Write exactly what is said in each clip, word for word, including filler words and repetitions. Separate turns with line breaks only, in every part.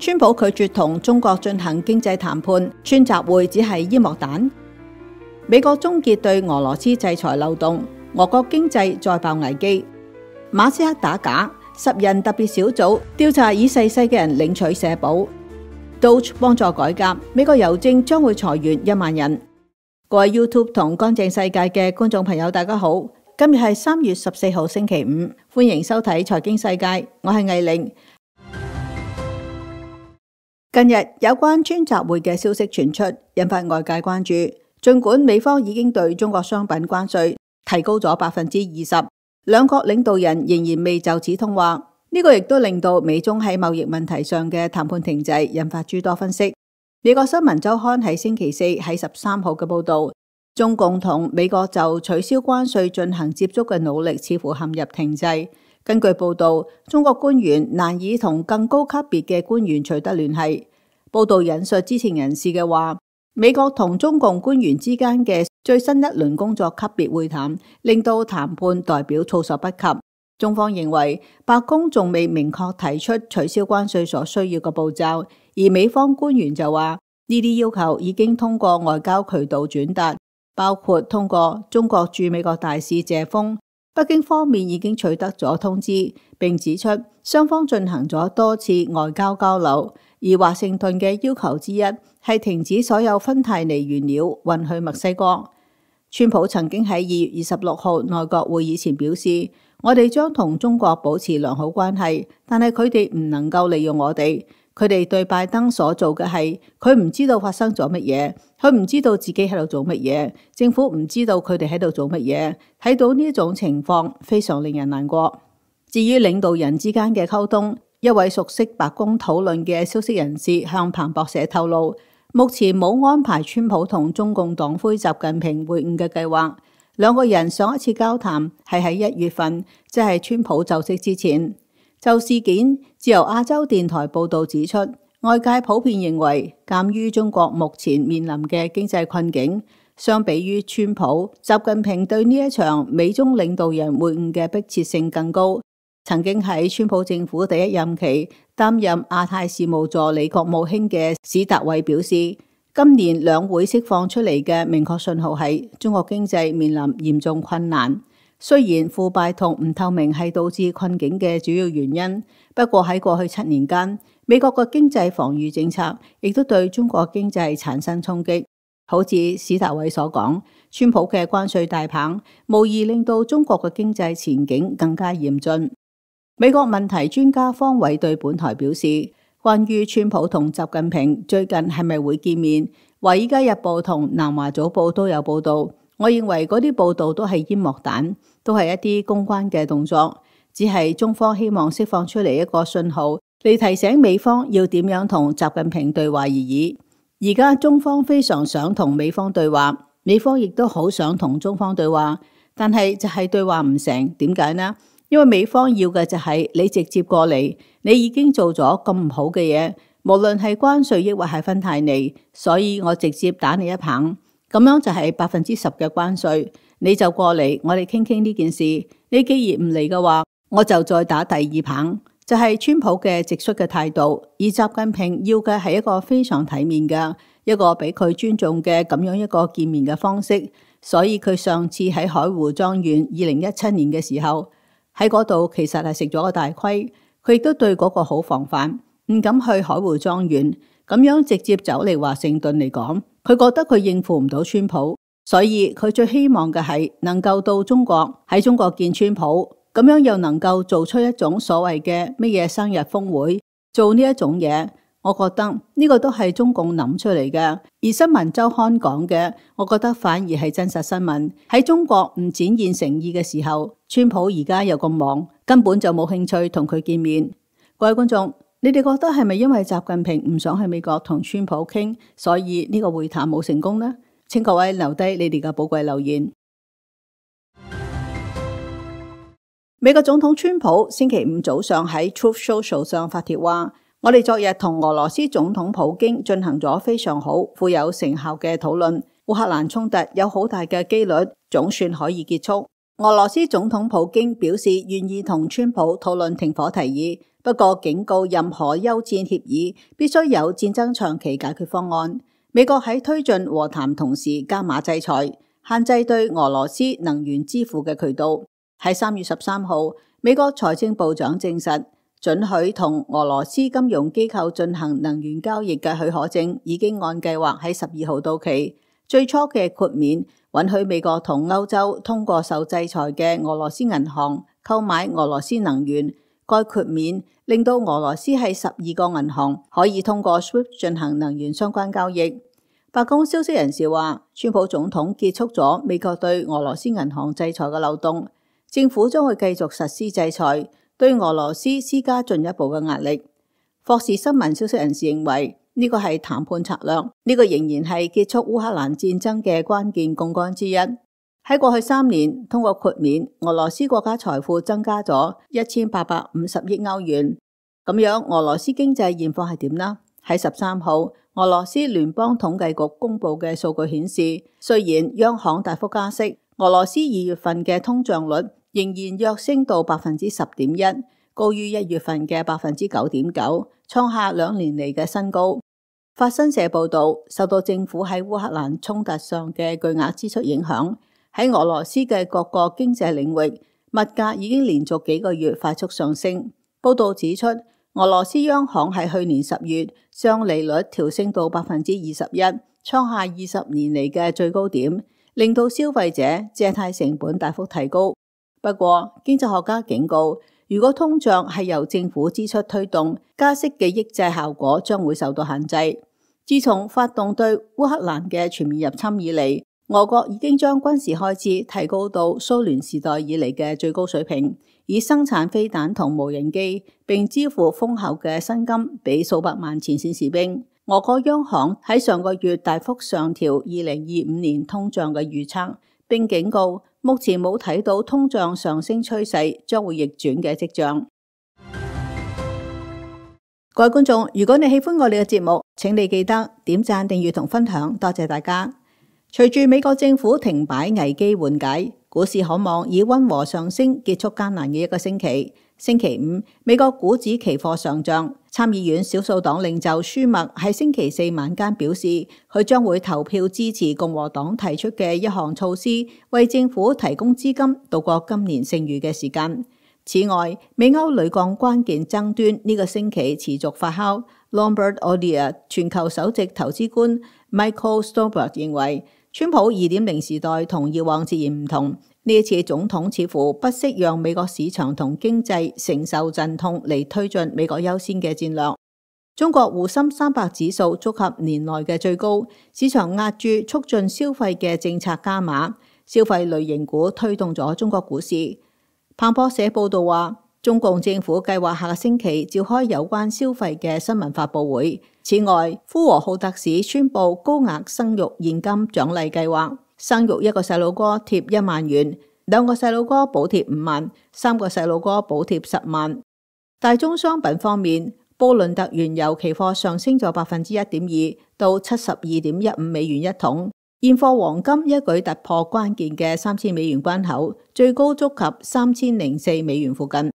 川普拒絕同中國進行經濟談判，川習會只係煙幕彈。美國終結對俄羅斯制裁漏洞，俄國經濟再爆危機。馬斯克打假，十人特別小組調查已逝世嘅人領取社保。Doge 幫助改革，美國郵政將會裁員一萬人。各位 YouTube 同乾淨世界嘅觀眾朋友，大家好，今日係三月十四號星期五，歡迎收睇財經世界，我係藝玲。近日有關川習會嘅消息傳出，引發外界關注。儘管美方已經對中國商品關稅提高咗百分之二十，兩國領導人仍然未就此通話。呢、這個亦都令到美中喺貿易問題上嘅談判停滯，引發諸多分析。美國新聞週刊喺星期四喺十三號嘅報導，中共同美國就取消關稅進行接觸嘅努力似乎陷入停滯。根據報導，中國官員難以同更高級別嘅官員取得聯繫。報導引述知情人士嘅話，美國同中共官員之間嘅最新一輪工作級別會談，令到談判代表措手不及。中方認為白宮仲未明確提出取消關稅所需要嘅步驟，而美方官員就話呢啲要求已經通過外交渠道轉達，包括通過中國駐美國大使謝鋒。北京方面已經取得咗通知，並指出雙方進行咗多次外交交流，而華盛頓嘅要求之一係停止所有芬太尼原料運去墨西哥。川普曾經喺二月二十六號內閣會議前表示，我哋將同中國保持良好關係，但係佢哋唔能夠利用我哋。佢哋對拜登所做嘅係，佢唔知道發生咗乜嘢，佢唔知道自己喺度做乜嘢，政府唔知道佢哋喺度做乜嘢。睇到呢一種情況，非常令人難過。至於領導人之間嘅溝通，一位熟悉白宮討論嘅消息人士向彭博社透露，目前冇安排川普同中共黨魁習近平會晤嘅計劃。兩個人上一次交談係喺一月份，即係川普就職之前。就事件，自由亞洲電台報導指出，外界普遍認為，鑑於中國目前面臨嘅經濟困境，相比於川普，習近平對呢一場美中領導人會晤嘅迫切性更高。曾經喺川普政府第一任期擔任亞太事務助理國務卿嘅史達偉表示，今年兩會釋放出嚟嘅明確信號係中國經濟面臨嚴重困難。雖然腐敗同唔透明係導致困境嘅主要原因，不過喺過去七年間，美國嘅經濟防禦政策亦都對中國經濟產生衝擊。好似史達偉所講，川普嘅關稅大棒無疑令到中國嘅經濟前景更加嚴峻。美國問題專家方偉對本台表示，關於川普同習近平最近係咪會見面，華爾街日報同南華早報都有報道。我認為嗰啲報道都係煙幕彈，都係一啲公關嘅動作，只係中方希望釋放出嚟一個信號，嚟提醒美方要點樣同習近平對話而已。而家中方非常想同美方對話，美方亦都好想同中方對話，但係就係對話唔成，點解呢？因為美方要嘅就係你直接過嚟，你已經做咗咁唔好嘅嘢，無論係關稅抑或係芬太尼，所以我直接打你一棒。咁樣就係百分之十嘅關稅，你就過嚟，我哋傾傾呢件事。你既然唔嚟嘅話，我就再打第二棒，就係川普嘅直率嘅態度。而習近平要嘅係一個非常體面嘅，一個俾佢尊重嘅咁樣一個見面嘅方式。所以佢上次喺海湖莊園二零一七年嘅時候，喺嗰度其實係食咗個大虧。佢亦都對嗰個好防範，唔敢去海湖莊園，咁樣直接走嚟華盛頓嚟講。佢覺得佢應付唔到川普，所以佢最希望嘅係能夠到中國，喺中國見川普，咁樣又能夠做出一種所謂嘅乜嘢生日峰會，做呢一種嘢，我覺得呢個都係中共諗出嚟嘅。而新聞週刊講嘅，我覺得反而係真實新聞。喺中國唔展現誠意嘅時候，川普而家又咁忙，根本就冇興趣同佢見面。各位觀眾，你哋覺得係咪因為習近平唔想去美國同川普傾，所以呢個會談冇成功呢？請各位留低你哋嘅寶貴留言。美國總統川普星期五早上喺 Truth Social 上發帖話，我哋昨日同俄羅斯總統普京進行咗非常好、富有成效嘅討論，烏克蘭衝突有好大嘅機率總算可以結束。俄羅斯總統普京表示願意同川普討論停火提議，不過警告任何休戰協議必須有戰爭長期解決方案。美國喺推進和談同時加碼制裁，限制對俄羅斯能源支付嘅渠道。喺三月十三號，美國財政部長證實，准許同俄羅斯金融機構進行能源交易嘅許可證已經按計劃喺十二號到期。最初嘅豁免允許美國同歐洲通過受制裁嘅俄羅斯銀行購買俄羅斯能源。該豁免令到俄羅斯喺十二個銀行可以通過 SWIFT 進行能源相關交易。白宮消息人士話，川普總統結束咗美國對俄羅斯銀行制裁嘅漏洞，政府將會繼續實施制裁，對俄羅斯施加進一步嘅壓力。霍士新聞消息人士認為，呢個係談判策略，呢個仍然係結束烏克蘭戰爭嘅關鍵槓桿之一。喺過去三年，通過豁免，俄羅斯國家財富增加咗一千八百五十億歐元。咁樣，俄羅斯經濟現況係點呢？喺十三號，俄羅斯聯邦統計局公布嘅數據顯示，雖然央行大幅加息，俄羅斯二月份嘅通脹率仍然躍升到百分之十點一，高於一月份嘅百分之九點九，創下兩年嚟嘅新高。法新社報道，受到政府喺烏克蘭衝突上嘅巨額支出影響，喺俄羅斯嘅各個經濟領域，物價已經連續幾個月快速上升。報道指出，俄羅斯央行喺去年十月將利率調升到百分之二十一，創下二十年嚟嘅最高點，令到消費者借貸成本大幅提高。不過，經濟學家警告，如果通脹係由政府支出推動，加息嘅抑制效果將會受到限制。自從發動對烏克蘭嘅全面入侵以嚟，俄國已經將軍事開支提高到蘇聯時代以嚟嘅最高水平，以生產飛彈同無人機，並支付豐厚嘅薪金俾數百萬前線士兵。俄國央行喺上個月大幅上調二零二五年通脹嘅預測，並警告目前冇睇到通脹上升趨勢將會逆轉嘅跡象。各位觀眾，如果你喜歡我哋嘅節目，請你記得點讚、訂閱同分享，多謝大家。隨住美國政府停擺危機緩解，股市可望以溫和上升結束艱難嘅一個星期。星期五，美國股指期貨上漲。參議院少數黨領袖舒默喺星期四晚間表示，佢將會投票支持共和黨提出嘅一項措施，為政府提供資金度過今年剩餘嘅時間。此外，美歐鋁鋼關鍵爭端呢個星期持續發酵。Lombard Odier 全球首席投資官 Michael Stolberg 認為，川普二點零時代同以往截然唔同。呢一次總統似乎不惜讓美國市場同經濟承受陣痛嚟推進美國優先嘅戰略。中國滬深三百指數觸及年內嘅最高，市場壓住促進消費嘅政策加碼，消費類型股推動咗中國股市。彭博社報道話，中共政府計劃下個星期召開有關消費嘅新聞發佈會。此外，呼和浩特市宣布高額生育現金獎勵計劃，生育一個細路哥貼一萬元，兩個細路哥補貼五萬，三個細路哥補貼十萬。大宗商品方面，布倫特原油期貨上升咗百分之一點二，到七十二點一五美元一桶。現貨黃金一舉突破關鍵嘅三千美元關口，最高觸及三千零四美元附近。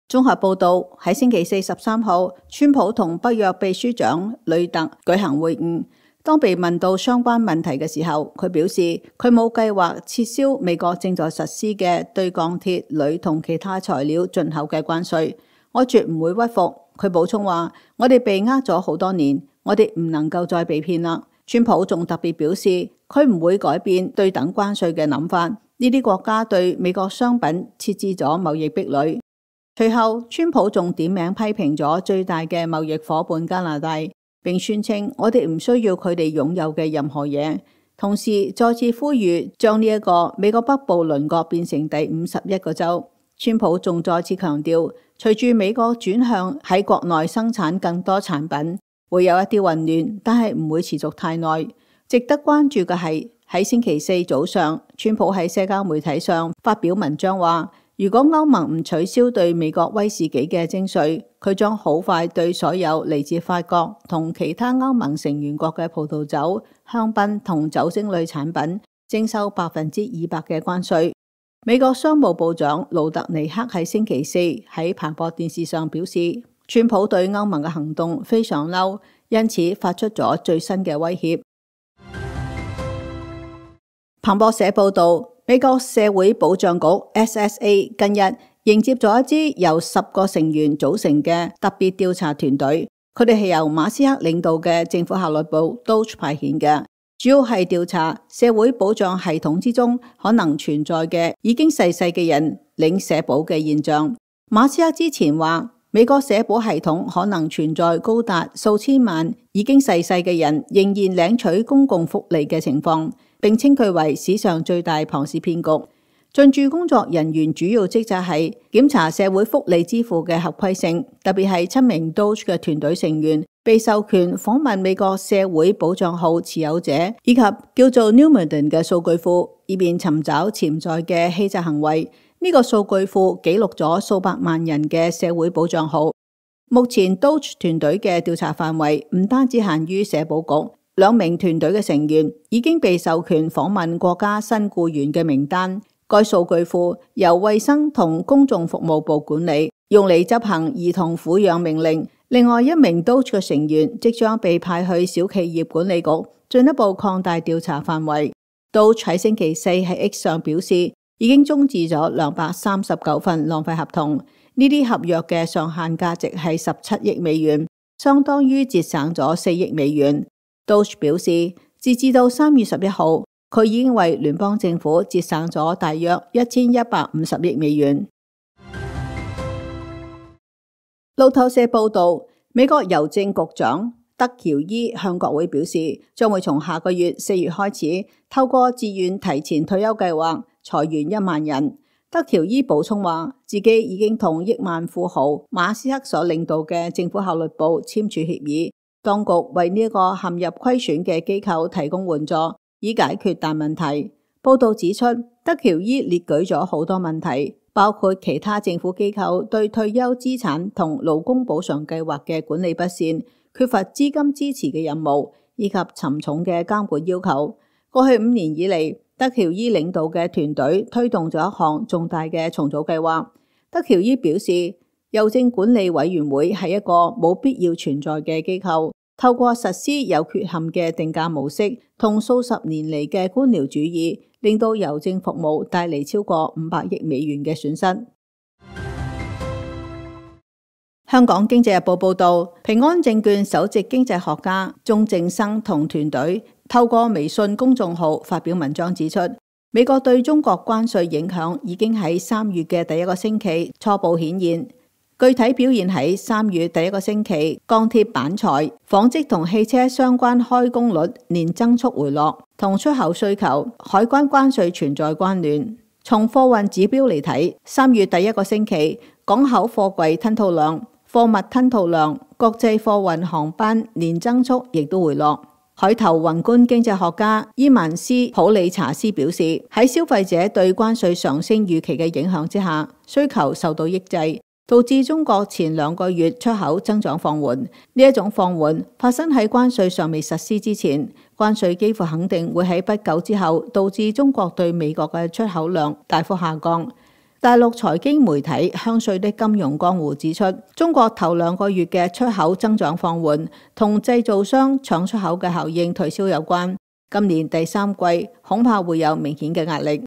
綜合報道，喺星期四十三號，川普同北約秘書長呂特舉行會晤。當被問到相關問題嘅時候，佢表示佢冇計劃撤銷美國正在實施嘅對鋼鐵、鋁同其他材料進口嘅關稅。我絕唔會屈服。佢補充話：我哋被呃咗好多年，我哋唔能夠再被騙啦。川普仲特別表示，佢唔會改變對等關稅嘅諗法。呢啲國家對美國商品設置咗貿易壁壘。隨後，川普仲點名批評咗最大嘅貿易夥伴加拿大，並宣稱我哋唔需要佢哋擁有嘅任何嘢。同時再次呼籲將呢一個美國北部鄰國變成第五十一個州。川普仲再次強調，隨住美國轉向喺國內生產更多產品，會有一啲混亂，但係唔會持續太耐。值得關注嘅係喺星期四早上，川普喺社交媒體上發表文章話，如果歐盟唔取消對美國威士忌嘅徵稅，佢將好快對所有嚟自法國同其他歐盟成員國嘅葡萄酒、香檳同酒精類產品徵收百分之二百嘅關稅。美國商務部長盧特尼克喺星期四喺彭博電視上表示，川普對歐盟嘅行動非常嬲，因此發出咗最新嘅威脅。彭博社報道，美國社會保障局 S S A 近日迎接咗一支由十個成員組成嘅特別調查團隊，佢哋係由馬斯克領導嘅政府效率部 D O G E 派遣嘅。主要係調查社會保障系統之中可能存在嘅已經逝世嘅人領社保嘅現象。馬斯克之前話，美國社保系統可能存在高達數千萬已經逝世嘅人仍然領取公共福利嘅情況，並稱佢為史上最大龐氏騙局。進駐工作人員主要職責係檢查社會福利支付嘅合規性，特別係七名 D O G E 嘅團隊成員被授權訪問美國社會保障號持有者以及叫做 Numerian 嘅數據庫，以便尋找潛在嘅欺詐行為。呢、這個數據庫記錄咗數百萬人嘅社會保障號。目前 D O G E 團隊嘅調查範圍唔單止限於社保局，兩名團隊嘅成員已經被授權訪問國家新僱員嘅名單。該數據庫由衛生同公眾服務部管理，用嚟執行兒童撫養命令。另外一名 D O G E 嘅成員即將被派去小企業管理局，進一步擴大調查範圍。D O G E 喺星期四喺 X 上表示，已經終止咗兩百三十九份浪費合同，呢啲合約嘅上限價值係十七億美元，相當於節省咗四億美元。D O G E 表示，截至到三月十一號，佢已經為聯邦政府節省咗大約一千一百五十億美元。路透社報道，美國郵政局長德喬伊向國會表示，將會從下個月四月開始，透過自願提前退休計劃裁員一萬人。德喬伊補充話，自己已經同億萬富豪馬斯克所領導嘅政府效率部簽署協議，當局為呢個陷入虧損嘅機構提供援助，以解決大問題。報道指出，德喬伊列舉咗好多問題，包括其他政府機構對退休資產同勞工補償計劃嘅管理不善、缺乏資金支持嘅任務，以及沉重嘅監管要求。過去五年以嚟，德喬伊領導嘅團隊推動咗一項重大嘅重組計劃。德喬伊表示，郵政管理委員會係一個冇必要存在嘅機構，透過實施有缺陷嘅定價模式同數十年嚟嘅官僚主義，令到郵政服務帶嚟超過五百億美元嘅損失。香港經濟日報報道，平安證券首席經濟學家鐘正生同團隊透過微信公眾號發表文章指出，美國對中國關稅影響已經喺三月嘅第一個星期初步顯現。具體表現喺三月第一個星期，鋼鐵板材、紡織同汽車相關開工率年增速回落，同出口需求、海關關稅存在關聯。從貨運指標嚟睇，三月第一個星期，港口貨櫃吞吐量、貨物吞吐量、國際貨運航班年增速亦都回落。海投宏觀經濟學家伊曼斯普里查斯表示，喺消費者對關稅上升預期嘅影響之下，需求受到抑制，導致中國前兩個月出口增長放緩。呢一種放緩發生喺關稅尚未實施之前，關稅幾乎肯定會喺不久之後導致中國對美國嘅出口量大幅下降。大陸財經媒體香穗的金融江湖指出，中國頭兩個月嘅出口增長放緩同製造商搶出口嘅效應退燒有關，今年第三季恐怕會有明顯嘅壓力。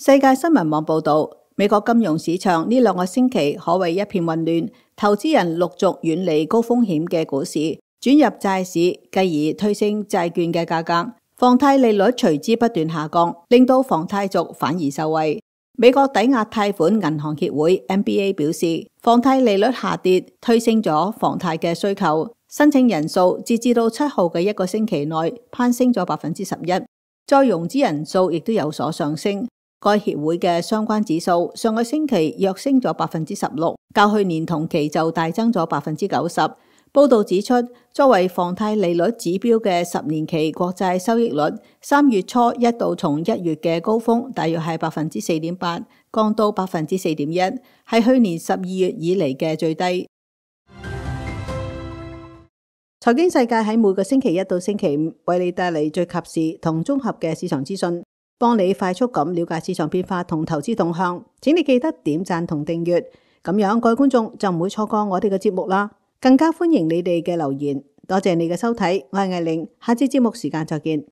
世界新聞網報道，美國金融市場呢兩個星期可謂一片混亂，投資人陸續遠離高風險嘅股市，轉入債市，繼而推升債券嘅價格。房貸利率隨之不斷下降，令到房貸族反而受惠。美國抵押貸款銀行協會 M B A 表示，房貸利率下跌推升咗房貸嘅需求，申請人數截至到七號嘅一個星期內攀升咗百分之十一，再融資人數亦都有所上升。該協會嘅相關指數上個星期躍升咗百分之十六，較去年同期就大增咗百分之九十。報道指出，作為房貸利率指標嘅十年期國債收益率，三月初一度從一月嘅高峰，大約係百分之四點八，降到百分之四點一，係去年十二月以嚟嘅最低。財經世界喺每個星期一到星期五為你帶嚟最及時同綜合嘅市場資訊，幫你快速咁了解市場變化同投資動向。請你記得點讚同訂閱，咁樣各位觀眾就唔會錯過我哋嘅節目啦。更加歡迎你哋嘅留言。多謝你嘅收睇，我係艾玲，下次節目時間再見。